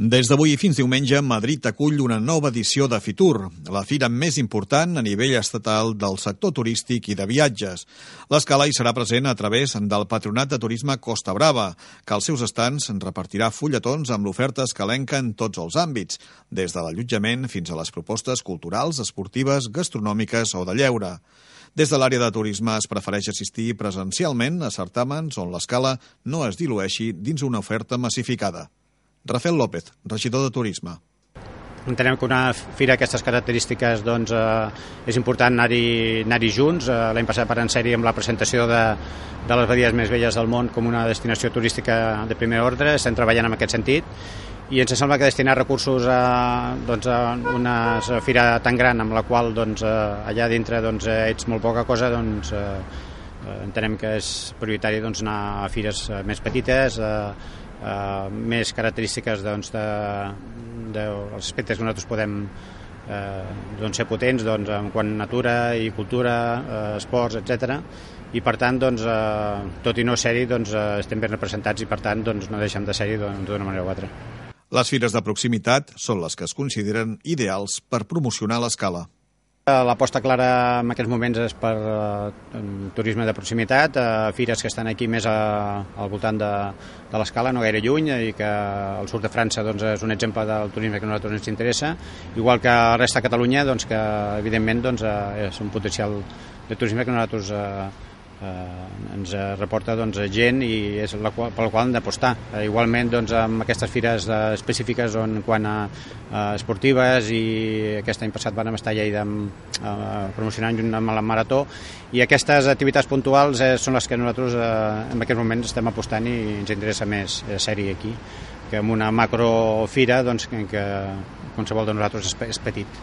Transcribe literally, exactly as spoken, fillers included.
Des d'avui fins diumenge, Madrid acull una nova edició de Fitur, la fira més important a nivell estatal del sector turístic i de viatges. L'escala hi serà present a través del Patronat de Turisme Costa Brava, que als seus estants repartirà fulletons amb l'oferta escalenca en tots els àmbits, des de l'allotjament fins a les propostes culturals, esportives, gastronòmiques o de lleure. Des de l'àrea de turisme es prefereix assistir presencialment a certàmens on l'escala no es dilueixi dins una oferta massificada. Rafael López, regidor de Turisme. Entenem que una fira d'aquestes característiques doncs, eh, és important anar-hi anar-hi junts. Eh, L'any passat per en sèrie amb la presentació de, de les badies més belles del món com una destinació turística de primer ordre. Estem treballant en aquest sentit i ens sembla que destinar recursos a, doncs, a una fira tan gran amb la qual doncs, allà dintre doncs, ets molt poca cosa, doncs, eh, entenem que és prioritari doncs, anar a fires més petites, eh, Uh, més característiques doncs, de, de, dels aspectes que nosaltres podem uh, doncs, ser potents doncs, en quant a natura i cultura, uh, esports, etcètera. I per tant, doncs, uh, tot i no ser-hi, doncs, uh, estem ben representats i per tant doncs, no deixem de ser-hi d'una manera o altra. Les fires de proximitat són les que es consideren ideals per promocionar l'escala. L'aposta clara en aquests moments és per uh, turisme de proximitat, uh, fires que estan aquí més a, al voltant de, de l'escala, no gaire lluny, i que el sud de França doncs, és un exemple del turisme que a nosaltres ens interessa, igual que la resta de Catalunya, doncs, que evidentment doncs, uh, és un potencial de turisme que nosaltres uh, Uh, ens reporta doncs, gent i és la qual, per la qual hem d'apostar. Uh, igualment doncs, amb aquestes fires uh, específiques on, quan a uh, esportives, i aquest any passat vam estar a Lleida amb, uh, promocionant amb la marató, i aquestes activitats puntuals eh, són les que nosaltres uh, en aquests moments estem apostant i ens interessa més eh, ser-hi aquí que amb una macrofira doncs, que qualsevol de nosaltres és, és petit.